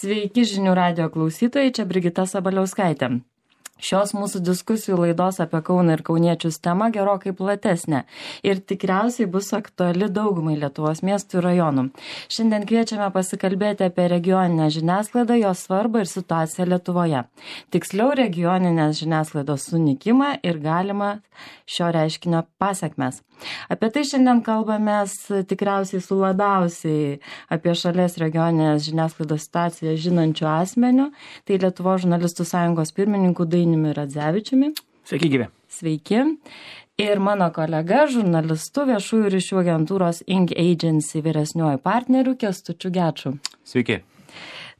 Sveiki žinių radijo klausytojai, čia Brigita Sabaliauskaitė. Šios mūsų diskusijų laidos apie Kauną ir kauniečius tema gerokai platesnė ir tikriausiai bus aktuali daugumai Lietuvos miestų ir rajonų. Šiandien kviečiame pasikalbėti apie regioninę žiniasklaidą, jos svarbą ir situaciją Lietuvoje. Tiksliau, regioninės žiniasklaidos sunykimą ir galimą šio reiškinio pasekmes. Apie tai šiandien kalbamės tikriausiai su labiausiai apie šalies regioninės žiniasklaidos situaciją žinančių asmenių, tai Lietuvos žurnalistų sąjungos pirmininku Dainiumi Radzevičiumi. Sveiki, gyvi. Sveiki. Ir mano kolega, žurnalistu viešųjų ryšių agentūros Ink Agency vyresniuoju partneriu Kęstučiu Geču. Sveiki.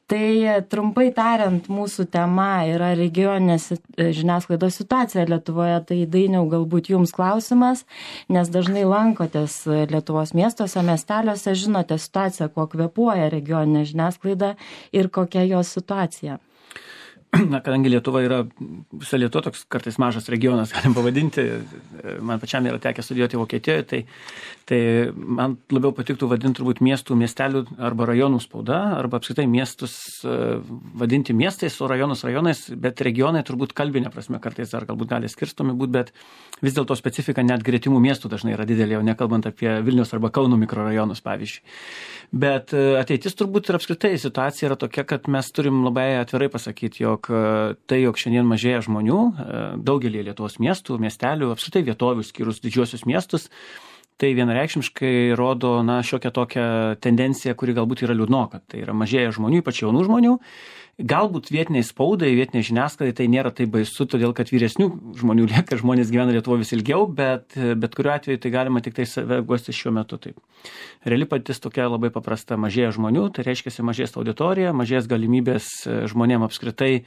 Tai trumpai tariant, mūsų tema yra regioninės žiniasklaidos situacija Lietuvoje. Tai Dainiau, galbūt jums klausimas, nes dažnai lankotės Lietuvos miestuose, miesteliuose, žinote situaciją, kuo kvėpuoja regioninė žiniasklaida ir kokia jos situacija. Na, kadangi Lietuva yra, visa Lietuva toks kartais mažas regionas, galim pavadinti, man pačiam yra tekę studijuoti Vokietijoje, tai man labiau patiktų vadinti turbūt miestų, miestelių arba rajonų spauda, arba apskritai miestus vadinti miestais, o rajonus rajonais, bet regionai turbūt kalbinė prasme kartais dar galbūt gali skirstomi būti, bet vis dėlto specifika net gretimų miestų dažnai yra didelė, jau nekalbant apie Vilniaus arba Kauno mikrorajonus, pavyzdžiui. Bet ateitis turbūt ir apskritai situacija yra tokia, kad mes turim labai atvirai pasakyti, jog jog šiandien mažėja žmonių daugelį Lietuvos miestų, miestelių, apskritai vietovių skyrus didžiuosius miestus, tai vienareikšmiškai rodo šiokią tokią tendenciją, kuri galbūt yra liūdnoka. Tai yra mažėja žmonių, ypač jaunų žmonių. Galbūt vietiniai spaudai, vietiniai žiniasklaidai tai nėra taip baisu, todėl kad vyresnių žmonių lieka, žmonės gyvena Lietuvoje vis ilgiau, bet kuriuo atveju tai galima tik tai save guosti šiuo metu. Taip. Reali patys tokia labai paprasta, mažėja žmonių, tai reiškia mažės auditorija, mažės galimybės žmonėm apskritai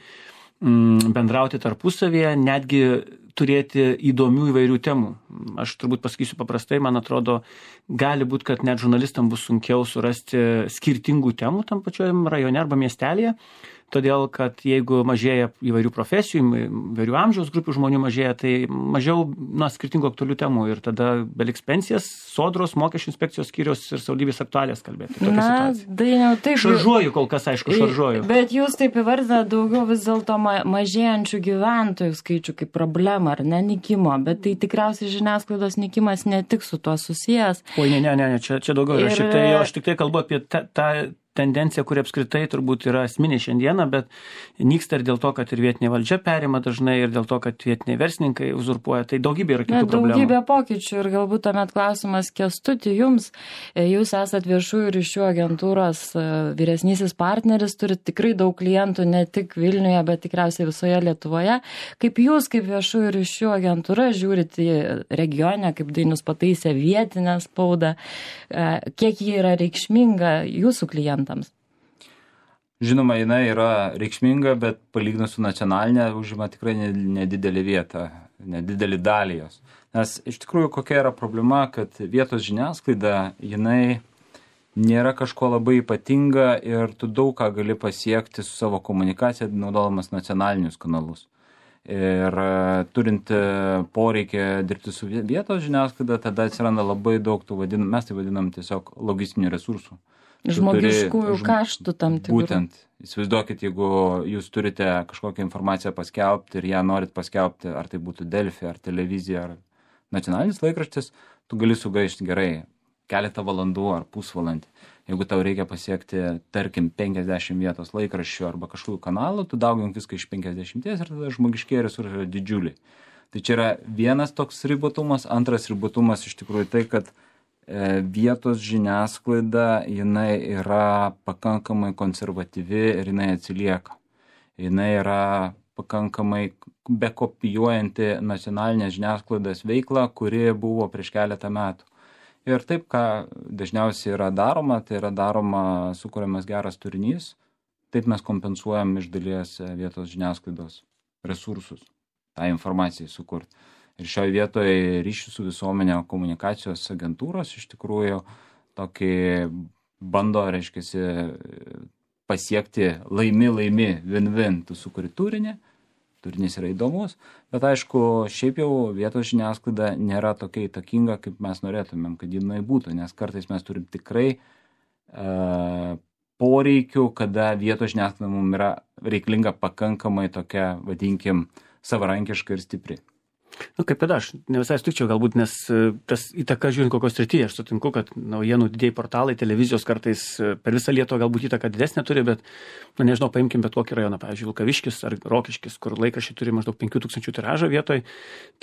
bendrauti tarpusavėje, netgi turėti įdomių įvairių temų. Aš turbūt pasakysiu paprastai, man atrodo, gali būti, kad net žurnalistam bus sunkiau surasti skirtingų temų tam pačiojam rajone arba miestelėje, todėl kad jeigu mažėja įvairių profesijų, įvairių amžiaus grupių žmonių mažėja, tai mažiau skirtingų aktualių temų ir tada beliks pensijas, sodros, mokesčių inspekcijos skyrius ir savivaldybės aktualijas kalbėti. Dainiau, taip. Šaržuoju kol kas, aišku, šaržuoju. Bet jūs taip įvardinate daugiau vis dėlto mažėjančių gyventojų skaičių kaip problema, ar ne, nykimo, bet tai tikriausiai žiniasklaidos nykimas ne tik su tuo susijęs. Oi, ne, čia daugiau. Aš tik tai kalbu apie tą tendencija, kuri apskritai turbūt yra esminė šiandieną, bet nyksta ir dėl to, kad ir vietinė valdžia perima dažnai ir dėl to, kad vietiniai verslininkai uzurpuoja. Tai daugybė yra kitų problemų. Daugybė pokyčių ir galbūt tuomet klausimas Kęstuti jums. Jūs esat viešųjų ryšių agentūros vyresnysis partneris, turite tikrai daug klientų ne tik Vilniuje, bet tikriausiai visoje Lietuvoje. Kaip jūs, kaip viešųjų ryšių agentūra, žiūrite į regionę, kaip Dainius pataisė vietinę spaudą, kiek ji yra reikšminga jūsų klientams? Žinoma, jinai yra reikšminga, bet palyginus su nacionalinė užima tikrai nedidelį vietą, nedidelį dalį jos. Nes iš tikrųjų kokia yra problema, kad vietos žiniasklaida, jinai nėra kažko labai ypatinga ir tu daug ką gali pasiekti su savo komunikacija, naudodamas nacionalinius kanalus. Ir turint poreikį dirbti su vietos žiniasklaida, tada atsiranda labai daug tų mes tai vadinam tiesiog logistinių resursų. Žmogiškųjų kaštų tam tikrų. Būtent. Įsivaizduokit, jeigu jūs turite kažkokią informaciją paskelbti ir ją norit paskelbti, ar tai būtų Delfi, ar televizija, ar nacionalinis laikraštis, tu gali sugaišti gerai keletą valandų ar pusvalandį. Jeigu tau reikia pasiekti, tarkim, 50 vietos laikraščių arba kažkokių kanalų, tu daugink viską iš 50 ir tada žmogiškieji resursai yra didžiuliai. Tai čia yra vienas toks ribotumas. Antras ribotumas iš tikrųjų tai, kad vietos žiniasklaida, jinai yra pakankamai konservatyvi ir jinai atsilieka. Jinai yra pakankamai bekopijuojanti nacionalinės žiniasklaidos veiklą, kuri buvo prieš keletą metų. Ir taip, ką dažniausiai yra daroma, tai yra daroma, sukuriamas geras turinys, taip mes kompensuojam iš dalies vietos žiniasklaidos resursus, tą informaciją sukurti. Ir šioje vietoje ryšių su visuomenė komunikacijos agentūros iš tikrųjų tokį bando, reiškiasi, pasiekti laimi, win-win. Tu sukuri turinį, turinys yra įdomus, bet aišku, šiaip jau vietos žiniasklaida nėra tokia įtakinga, kaip mes norėtumėm, kad jinai būtų, nes kartais mes turim tikrai poreikių, kada vietos žiniasklaida mums yra reikalinga pakankamai tokia, vadinkim, savarankiška ir stipri. Kaip ir aš, ne visai sutikčiau galbūt, nes tas įtaka žiūrint kokios srityje, aš sutinku, kad naujienų didieji portalai, televizijos kartais per visą Lietuvą galbūt įtaką didesnė turi, bet, nežinau, paimkim bet kokį rajoną, pavyzdžiui, Vilkaviškis ar Rokiškis, kur laikraščiai turi maždaug 5000 tiražą vietoj,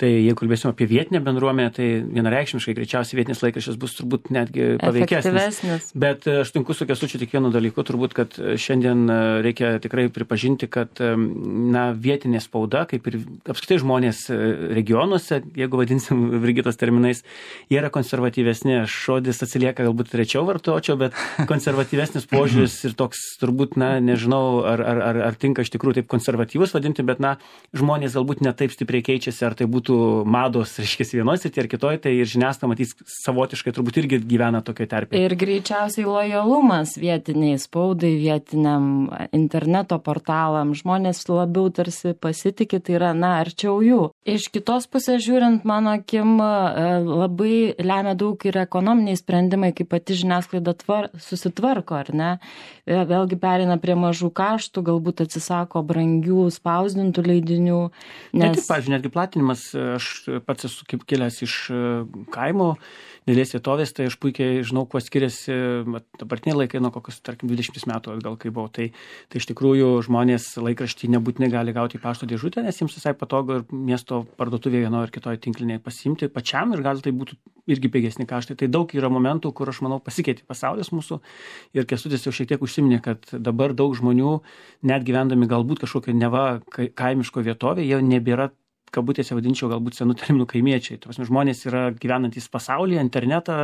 tai jeigu kalbėsim apie vietinę bendruomenę, tai vienareikšmiškai greičiausiai vietinis laikraštis bus turbūt netgi paveikesnis. Bet aš sutinku su Kęstučiu tik vienu dalyku, turbūt, kad šiandien reikia tikrai pripažinti, kad vietinė spauda, kaip ir apskritai žmonės regionuose, jeigu vadinsim Brigitos terminais, jie yra konservatyvesni. Žodis atsilieka galbūt rečiau vartočiau, bet konservatyvesnis požiūris ir toks turbūt, nežinau, ar tinka iš tikrųjų taip konservatyvus vadinti, bet, žmonės galbūt ne taip stipriai keičiasi, ar tai būtų mados, reiškia, vienoj srityje ar kitoj, tai ir žiniasklaida matys savotiškai turbūt irgi gyvena tokioje terpėje. Ir greičiausiai lojalumas vietiniai spaudai, vietiniam interneto portalam, žmonės labiau tarsi pasitikė, tai yra, arčiau jų. Iš kitos pusės žiūrint, mano akim, labai lemia daug ir ekonominiai sprendimai, kaip pati žiniasklaida susitvarko, ar ne? Vėlgi pereina prie mažų kaštų, galbūt atsisako brangių spausdintų leidinių. Nes... Pavyzdžiui, netgi platinimas, aš pats esu kaip kilęs iš kaimo, didelės vietovės, tai aš puikiai žinau, kuo skiriasi dabartiniai laikai nuo kokius, tarkim, 20 metų atgal, kai buvau. Tai iš tikrųjų žmonės laikraštį nebūtinai gali gauti į pašto dėžutę, nes jiems visai patogu ir miesto parduotuvėje vienoje ar kitoje tinklinėje pasiimti pačiam ir gal tai būtų irgi pigesni kaštai. Tai daug yra momentų, kur aš manau pasikeitė pasaulis mūsų ir Kęstutis jau šiek tiek užsiminė, kad dabar daug žmonių, net gyvendami galbūt kažkokio neva kaimiško vietovėje, jau nebėra, kabutėse vadinčiau, galbūt senų terminų kaimiečiai. Žmonės yra gyvenantys pasaulyje, internetą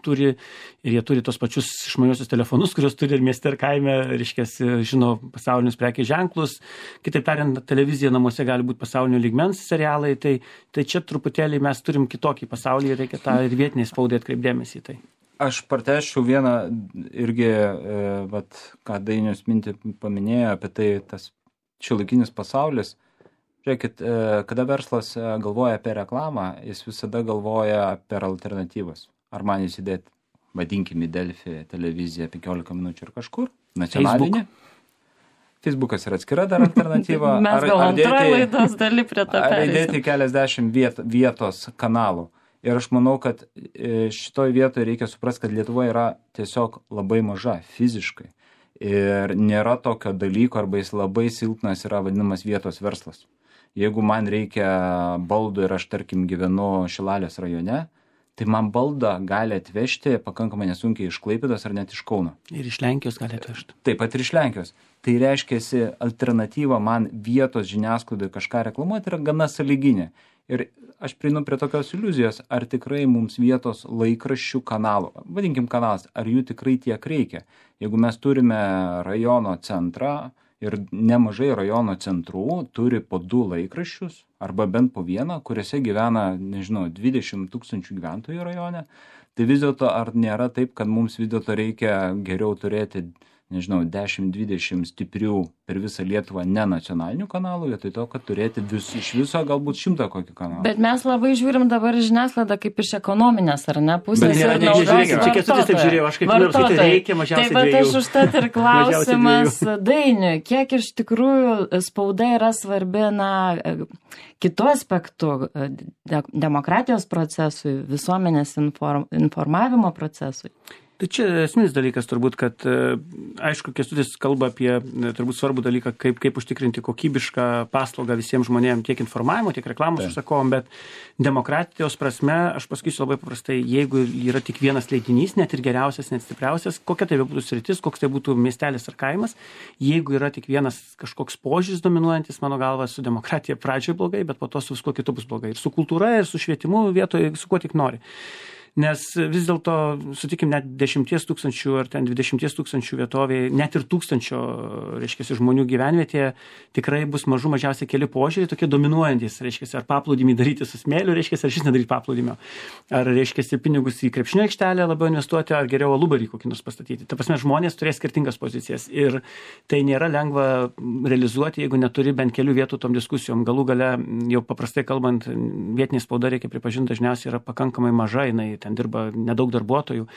turi ir jie turi tos pačius išmaniuosius telefonus, kuriuos turi ir mieste ir kaime, reiškia, žino pasaulinius prekės ženklus. Kitaip tariant, televizija namuose gali būti pasaulinio lygmens serialai, tai čia truputėlį mes turim kitokį pasaulį ir reikia tą ir vietiniai spaudai atkreipdėmėsi į tai. Aš pratęsčiau vieną irgi, ką Dainius mintį paminėjo apie tai, tas šiuolaikinis pasaulis. Žiūrėkit, kada verslas galvoja apie reklamą, jis visada galvoja per alternatyvas. Ar man įsidėti, vadinkime, Delfi televiziją 15 minučių ir kažkur, nacionalinį. Facebookas yra atskira dar alternatyva. Mes gal antroji laidos daly prie to perėsim. Ar įdėti keliasdešimt vietos kanalų. Ir aš manau, kad šitoj vietoje reikia suprasti, kad Lietuva yra tiesiog labai maža fiziškai. Ir nėra tokio dalyko, arba jis labai silpnas yra vadinamas vietos verslas. Jeigu man reikia baldų ir aš, tarkim, gyvenu Šilalės rajone, tai man baldą gali atvežti pakankamai nesunkiai iš Klaipėdos ar net iš Kauno. Ir iš Lenkijos gali atvežti. Taip pat ir iš Lenkijos. Tai reiškiasi, alternatyva man vietos žiniasklaidai kažką reklamuoti yra gana sąlyginė. Ir aš prieinu prie tokios iliuzijos, ar tikrai mums vietos laikraščių kanalų, vadinkim kanalas, ar jų tikrai tiek reikia. Jeigu mes turime rajono centrą, ir nemažai rajono centrų turi po 2 laikraščius, arba bent po 1, kuriuose gyvena, 20 000 gyventojų rajone, tai vis dėlto ar nėra taip, kad mums vis dėlto reikia geriau turėti, 10-20 stiprių per visą Lietuvą nenacionalinių kanalų, vietoj to, kad turėti iš viso galbūt 100 kokį kanalą. Bet mes labai žiūrim dabar žiniasklaidą kaip iš ekonominės, ar ne, pusės. Bet nėra, nežiūrėkime, čia Kęstutis taip žiūrėjo, aš kaip nors, tai reikia mažiausiai 2. Taip, bet aš užtat ir klausimas Dainiui, kiek iš tikrųjų spauda yra svarbi, kitų aspektų, demokratijos procesui, visuomenės informavimo procesui. Tai čia esminis dalykas turbūt, kad aišku, Kęstutis kalba apie turbūt svarbų dalyką, kaip užtikrinti kokybišką paslaugą visiems žmonėms, tiek informavimo, tiek reklamos užsakovom, bet demokratijos prasme, aš pasakysiu labai paprastai, jeigu yra tik vienas leidinys, net ir geriausias, net stipriausias, kokia tai būtų sritis, koks tai būtų miestelis ar kaimas, jeigu yra tik vienas kažkoks požiūris dominuojantis, mano galva, su demokratija pradžioje blogai, bet po to su viskuo kitu bus blogai. Ir su kultūra, ir su švietimu vietoje, su kuo tik nori. Nes vis dėlto, sutikim, net 10 000 ar ten 20 000 vietovėje, net ir 1000, reiškia, žmonių gyvenvietėje tikrai bus mažiausiai keli požiūriai, tokie dominuojantis, reiškia, ar paplūdimį daryti su smėliu, reiškia, ar šis nedaryti paplūdimio, ar, reiškia, pinigus į krepšinio aikštelę labiau investuoti, ar geriau alubarį kokį nors pastatyti. Ta prasme, žmonės turės skirtingas pozicijas ir tai nėra lengva realizuoti, jeigu neturi bent kelių vietų tom diskusijom. Galų gale, jau paprastai kalbant, vietinė spauda, reikia pripažinti, dažniausiai yra pakankamai maža, jinai ten dirba nedaug darbuotojų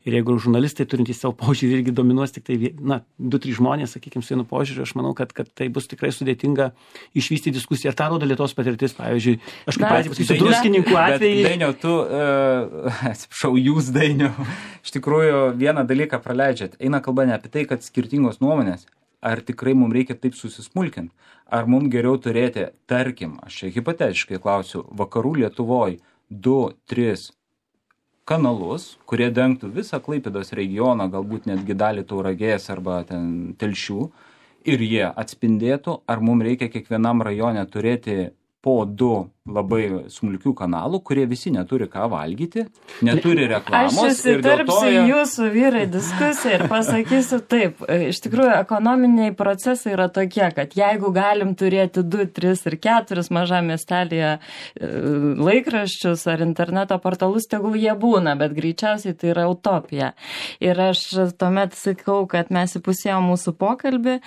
ir jeigu žurnalistai turintys savo požiūrį irgi dominuos tik tai 2-3 žmonės, sakykime, su vienu požiūriu, aš manau, kad tai bus tikrai sudėtinga išvystyti diskusiją. Ir tą rodo Lietuvos patirtis, pavyzdžiui, aš kaip pradžiai pasakysiu, druskininkų atvejai. Dainiau, tu, atsiprašau, jūs, Dainiau, iš tikrųjų vieną dalyką praleidžiat. Eina kalba ne apie tai, kad skirtingos nuomonės, ar tikrai mums reikia taip susismulkinti, ar mums geriau turėti, tarkim, aš čia hipotetiškai klausiu, vakarų Lietuvoje 2-3 kanalus, kurie dengtų visą Klaipėdos regioną, galbūt netgi dalį Tauragės arba ten Telšių, ir jie atspindėtų, ar mums reikia kiekvienam rajone turėti po 2 labai smulkių kanalų, kurie visi neturi ką valgyti, neturi reklamos. Aš įsitarpsiu jūsų vyrai diskusiją ir pasakysiu taip. Iš tikrųjų, ekonominiai procesai yra tokie, kad jeigu galim turėti 2, 3 ir 4 mažam miestelėje laikraščius ar interneto portalus, tegul jie būna, bet greičiausiai tai yra utopija. Ir aš tuomet sakau, kad mes įpusėjom mūsų pokalbį.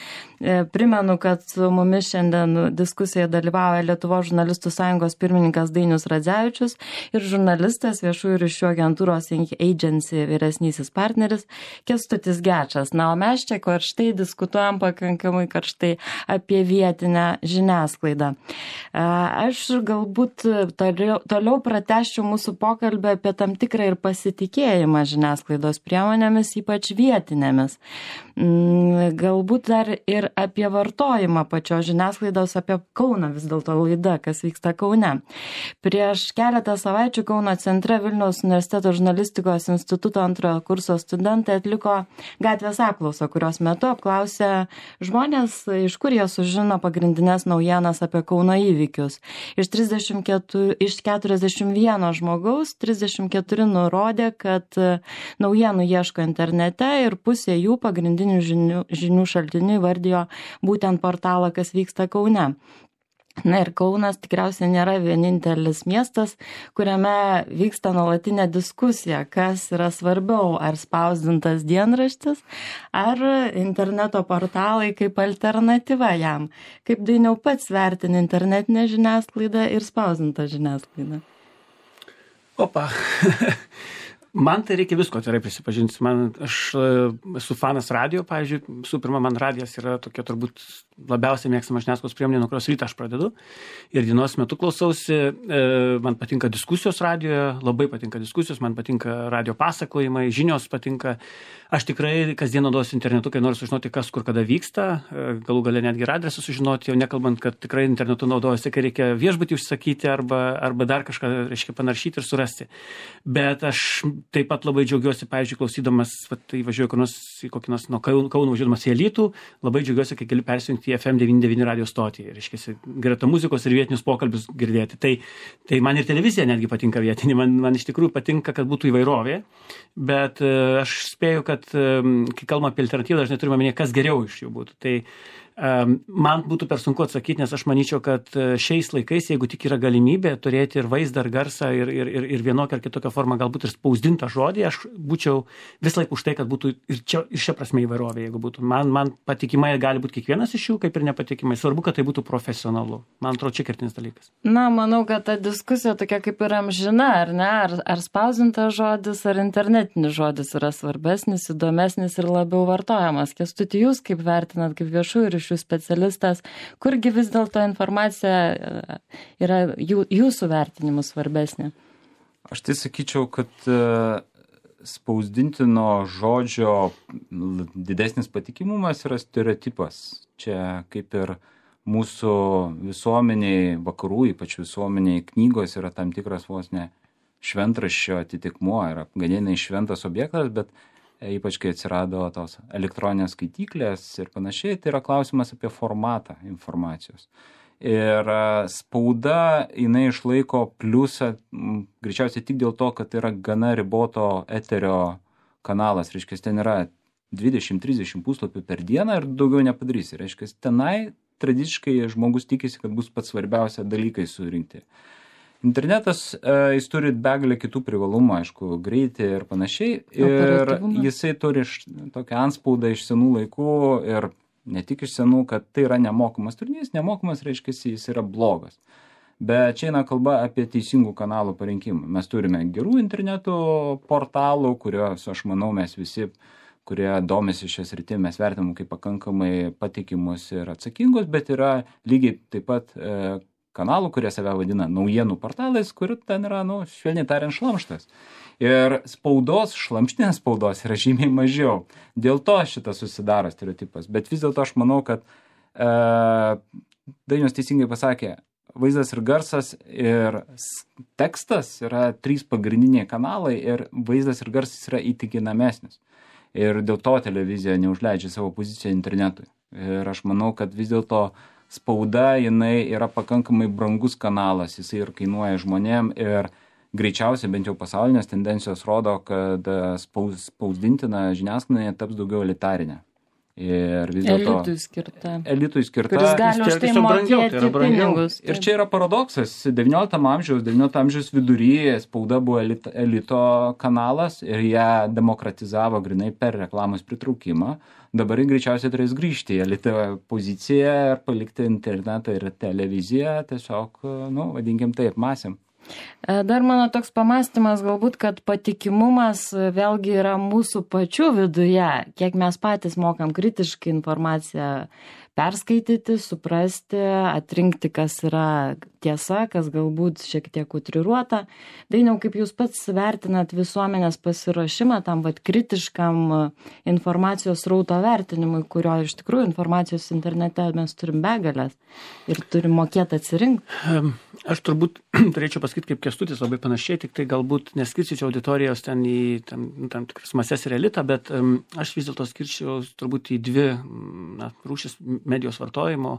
Primenu, kad su mumis šiandien diskusijoje dalyvauja Lietuvos žurnalistų sąjungos pirmininkas Dainius Radzevičius ir žurnalistas viešųjų ryšių agentūros Agency vyresnysis partneris Kęstutis Gečas. Na, o mes čia karštai diskutuojam pakankamai karštai apie vietinę žiniasklaidą. Aš galbūt toliau pratęsčiau mūsų pokalbį apie tam tikrą ir pasitikėjimą žiniasklaidos priemonėmis, ypač vietinėmis. Galbūt dar ir apie vartojimą pačios žiniasklaidos, apie Kauną vis dėlto laida, kas vyksta Kaune. Prieš keletą savaičių Kauno centre Vilniaus universiteto žurnalistikos instituto 2 kurso studentai atliko gatvės apklausą, kurios metu apklausė žmonės, iš kur jie sužino pagrindinės naujienas apie Kauno įvykius. Iš 41 žmogaus 34 nurodė, kad naujienų ieško internete ir pusė jų pagrindinių žinių šaltinių įvardijo būtent portalą, kas vyksta Kaune. Na ir Kaunas tikriausiai nėra vienintelis miestas, kuriame vyksta nuolatinė diskusija, kas yra svarbiau, ar spausdintas dienraštis, ar interneto portalai kaip alternatyva jam. Kaip Dainiau pats vertini internetinę žiniasklaidą ir spausdintą žiniasklaidą? Opa. Man tai reikia visko atvirai prisipažinti. Aš esu fanas radio, pavyzdžiui, visų pirma, man radijas yra tokia turbūt labiausiai mėgstama žiniasklaidos priemonė, nuo kurios rytą aš pradedu. Ir dienos metu klausausi, man patinka diskusijos radioje, labai patinka diskusijos, man patinka radio pasakojimai, žinios patinka. Aš tikrai kasdien naudojuosi internetu, kai noriu sužinoti, kas kur kada vyksta, galų gale netgi ir adresą sužinoti, jau nekalbant, kad tikrai internetu naudojuosi, kai reikia viešbutį užsakyti arba dar kažką, reiškia, panaršyti ir surasti. Bet aš taip pat labai džiaugiuosi, pavyzdžiui, klausydamas, tai važiuoju kokį nors nuo Kauno važiuodamas į Alytų, labai džiaugiuosi, kai galiu persijungti į FM 99 radio stotį, reiškia, greta muzikos ir vietinius pokalbius girdėti. Tai man ir televizija netgi patinka vietinė, man iš tikrųjų patinka, kad būtų įvairovė, bet aš spėju, kad kai kalbame apie alternatyvą, dažnai turime minėti, kas geriau iš jų būtų. Tai man būtų per sunku atsakyti, nes aš manyčiau, kad šiais laikais, jeigu tik yra galimybė turėti ir vaizdą, ir garsą, ir vienokią ar kitokią formą, galbūt ir spausdintą žodį, aš būčiau vis laik už tai, kad būtų ir šia prasme įvairovė, jeigu būtų. Man patikimai gali būti kiekvienas iš jų, kaip ir nepatikimai. Svarbu, kad tai būtų profesionalu. Man atrodo, čia kertinis dalykas. Na, manau, kad ta diskusija tokia kaip ir amžina, ar ne? Ar spausdintas žodis, ar internetinis žodis yra svarbesnis, įdomesnis ir labiau vartojamas. Kęstuti, jūs kaip vertinat, kaip viešųjų ryšių specialistas, kurgi vis dėlto informacija yra jūsų vertinimu svarbesnė? Aš tai sakyčiau, kad spausdintino žodžio didesnis patikimumas yra stereotipas. Čia kaip ir mūsų visuomeniai, vakarų, ypač visuomeniai knygos yra tam tikras vos ne šventraščio atitikmuo, yra ganėtinai šventas objektas, bet ypač kai atsirado tos elektroninės skaityklės ir panašiai, tai yra klausimas apie formatą informacijos. Ir spauda, jinai išlaiko pliusą, greičiausiai tik dėl to, kad tai yra gana riboto eterio kanalas, reiškia, ten yra 20-30 puslapių per dieną ir daugiau nepadarysi. Reiškia, tenai tradiciškai žmogus tikisi, kad bus pats svarbiausia dalykai surinkti. Internetas, jis turi begalę kitų privalumų, aišku, greitį ir panašiai. Ir jisai turi tokią antspaudą iš senų laikų ir ne tik iš senų, kad tai yra nemokamas turinys. Nemokamas reiškia, jis yra blogas. Bet čia eina kalba apie teisingų kanalų parinkimą. Mes turime gerų interneto portalų, kuriuos, aš manau, mes visi, kurie domisi šią sritį, mes vertinam kaip pakankamai patikimus ir atsakingus, bet yra lygiai taip pat kanalų, kurie save vadina naujienų portalais, kur ten yra, švelniai tariant, šlamštas. Ir spaudos, šlamštinės spaudos yra žymiai mažiau. Dėl to šitas susidaro stereotipas. Bet vis dėlto aš manau, kad Dainius teisingai pasakė, vaizdas ir garsas ir tekstas yra 3 pagrindiniai kanalai ir vaizdas ir garsas yra įtikinamesnis. Ir dėl to televizija neužleidžia savo poziciją internetui. Ir aš manau, kad vis dėlto spauda, jinai yra pakankamai brangus kanalas, jisai ir kainuoja žmonėm ir greičiausiai bent jau pasaulinės tendencijos rodo, kad spausdintina žiniasklaida taps daugiau elitarinė. Ir vis dėlto elitui skirta, kuris gali už tai mokėti pinigus. Ir čia yra paradoksas. 19 amžiaus viduryje spauda buvo elito kanalas ir ją demokratizavo grinai per reklamos pritraukimą. Dabar greičiausiai turės grįžti į elito poziciją ir palikti internetą ir televiziją tiesiog, vadinkim taip, masėm. Dar mano toks pamąstymas galbūt, kad patikimumas vėlgi yra mūsų pačių viduje, kiek mes patys mokam kritiškai informaciją perskaityti, suprasti, atrinkti, kas yra tiesa, kas galbūt šiek tiek utriruota. Dainiau, kaip jūs pats vertinat visuomenės pasiruošimą tam kritiškam informacijos srauto vertinimui, kurio iš tikrųjų informacijos internete mes turim begalės ir turim mokėti atsirinkti? Aš turbūt turėčiau pasakyti, kaip Kęstutis labai panašiai, tik tai galbūt neskirčiau auditorijos ten į tam tikras mases ir elitą, bet aš vis dėlto skirčiau turbūt į 2 rūšis medijos vartojimo.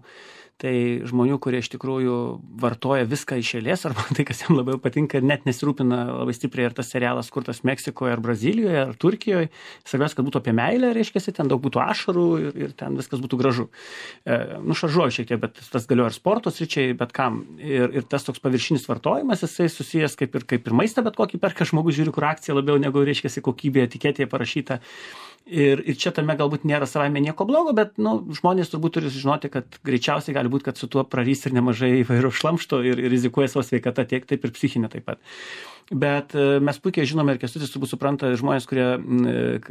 Tai žmonių, kurie iš tikrųjų vartoja viską iš eilės, arba tai, kas jam labiau patinka ir net nesirūpina labai stipriai, ar tas serialas kurtas Meksikoje, ar Brazilijoje, ar Turkijoje. Svarbiausia, kad būtų apie meilę, reiškia, ten daug būtų ašarų ir ten viskas būtų gražu. Šaržuoju šiek tiek, bet tas galioja ir sporto sričiai, bet kam. Ir tas toks paviršinis vartojimas, jisai susijęs kaip ir maistą, bet kokį perka žmogus, žiūri, kur akcija labiau negu, reiškia, kokybė, etiketėje parašyta. Ir čia tame galbūt nėra savaime nieko blogo, bet žmonės turbūt turi žinoti, kad greičiausiai gali būti, kad su tuo prarys ir nemažai įvairių šlamšto ir rizikuoja savo sveikatą tiek, taip ir psichinę taip pat. Bet mes puikiai žinome ir Kęstutis turbūt supranta žmonės, kurie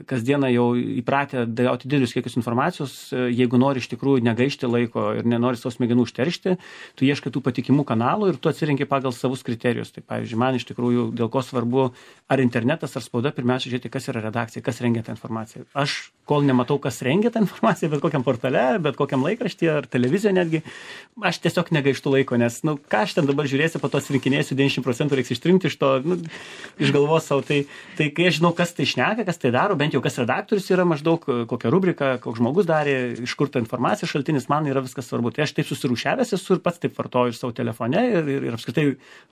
kasdieną jau įpratę gauti didelius kiekius informacijos, jeigu nori iš tikrųjų negaišti laiko ir nenori savo smegenų užteršti, tu ieškai tų patikimų kanalų ir tu atsirenki pagal savus kriterijus. Tai pavyzdžiui, man iš tikrųjų dėl ko svarbu ar internetas, ar spauda, pirmiausia žiūrėti, kas yra redakcija, kas rengia tą informaciją. Aš kol nematau, kas rengia tą informaciją, bet kokiam portale, bet kokiam laikraštyje ar televizijoje netgi, aš tiesiog negaištu laiko, nes, ką aš ten dabar žiūrėsiu, po to rinkinėsiu 90% reiks ištrimti iš to, išgalvos savo. Tai kai aš žinau, kas tai šneka, kas tai daro, bent jau kas redaktorius yra maždaug, kokią rubriką, koks žmogus darė, iš kur ta informacija šaltinis, man yra viskas svarbu. Tai aš taip susirūšiavęs esu ir pats taip vartoju savo telefone ir apskritai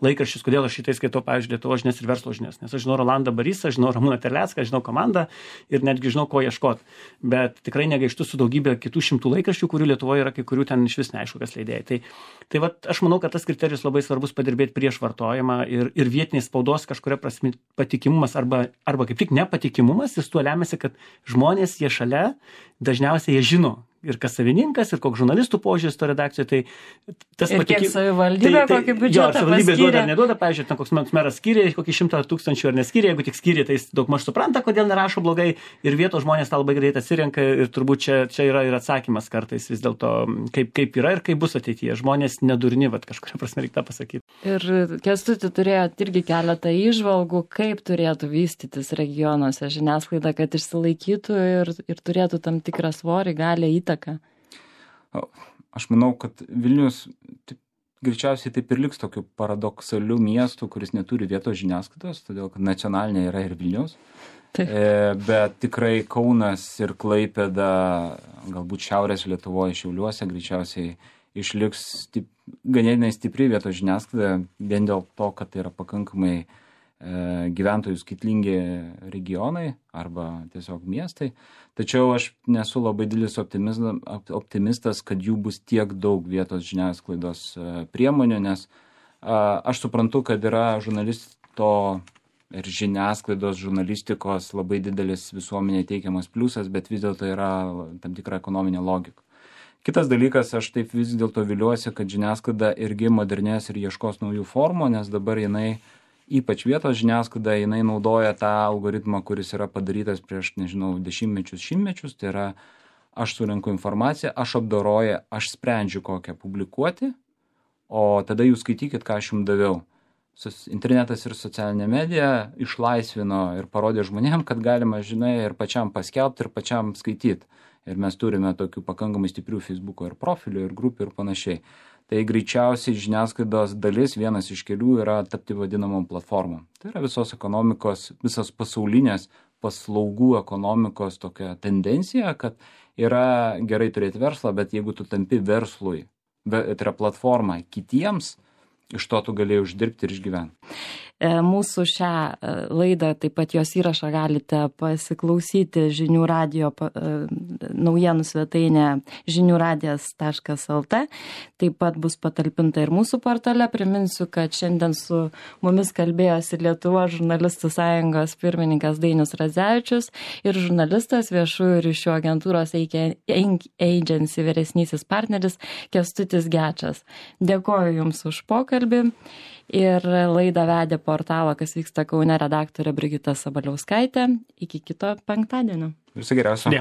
laikraščius, kodėl aš šitai skaitau, pavyzdžiui, Lietuvos žinias ir verslo žinias. Nes aš žinau Rolandą Barysą, žinau Ramūną Terlecką, žinau komandą ir netgi žinau, ko ieškoti. Bet tikrai negaištu su daugybė kitų šimtų laikraščių, kurių Lietuvoje yra, kai kurių ten iš vis neaišku, kas leidėjai. Tai aš manau, kad tas kriterijus labai svarbus padirbėti prieš vartojimą ir vietiniai spaudos kažkuria prasme patikimumas arba kaip tik nepatikimumas, jis tuo lemiasi, kad žmonės jie šalia, dažniausiai jie žino ir kas savininkas, ir koks žurnalistų požiūris to redakcijoje, tai tas ir kiek savivaldybė kokį biudžetą savivaldybė duoda ar neduoda, pavyzdžiui, ten koks meras skyrė kokį 100 000 ar neskyrė, jeigu tik skyrė, tai jis daugmaž supranta, kodėl nerašo blogai ir vietos žmonės tą labai greit atsirenka ir turbūt čia yra ir atsakymas kartais vis dėlto, kaip yra ir kaip bus ateityje. Žmonės nedurni, kažkuria prasme reikia tą pasakyti. Ir Kęstuti turėjot irgi keletą įžvalgų, kaip turėtų vystytis regionuose žiniasklaida, kad išsilaikytų ir turėtų tam tikrą svorį, galę, įtaką. Aš manau, kad Vilnius greičiausiai taip ir liks tokiu paradoksaliu miestu, kuris neturi vietos žiniasklaidos, todėl kad nacionalinė yra ir Vilnius. Bet tikrai Kaunas ir Klaipėda, galbūt Šiaurės Lietuvoje, Šiauliuose greičiausiai išliks ganėtinai stipri vietos žiniasklaida, vien dėl to, kad tai yra pakankamai gyventojų skaitlingi regionai arba tiesiog miestai. Tačiau aš nesu labai didelis optimistas, kad jų bus tiek daug vietos žiniasklaidos priemonių, nes aš suprantu, kad yra žurnalisto ir žiniasklaidos žurnalistikos labai didelis visuomenė teikiamas pliusas, bet vis dėlto yra tam tikra ekonominė logika. Kitas dalykas, aš taip vis dėlto viliuosi, kad žiniasklaida irgi modernės ir ieškos naujų formų, nes dabar jinai, ypač vietos žiniasklaida, jinai naudoja tą algoritmą, kuris yra padarytas prieš, nežinau, šimtmečius, tai yra aš surenku informaciją, aš apdoroju, aš sprendžiu kokią publikuoti, o tada jūs skaitykit, ką aš jums daviau. Internetas ir socialinė medija išlaisvino ir parodė žmonėm, kad galima, žinai, ir pačiam paskelbti, ir pačiam skaityti. Ir mes turime tokių pakankamai stiprių Facebook'o ir profilių, ir grupių ir panašiai. Tai greičiausiai žiniasklaidos dalis, vienas iš kelių, yra tapti vadinamom platformom. Tai yra visos ekonomikos, visos pasaulinės paslaugų ekonomikos tokia tendencija, kad yra gerai turėti verslą, bet jeigu tu tampi verslui, tai yra platforma kitiems, iš to tu galėjai uždirbti ir išgyventi. Mūsų šią laidą, taip pat jos įrašą galite pasiklausyti žinių radijo naujienų svetainė žiniųradijas.lt. Taip pat bus patalpinta ir mūsų portale. Priminsiu, kad šiandien su mumis kalbėjosi Lietuvos žurnalistų sąjungos pirmininkas Dainius Radzevičius ir žurnalistas viešųjų ryšių agentūros Agency vyresnysis partneris Kęstutis Gečas. Dėkoju Jums už pokalbį. Ir laidą vedė portalo Kas vyksta Kaune redaktorė Brigita Sabaliauskaitė. Iki kito penktadienio. Viso geriausio.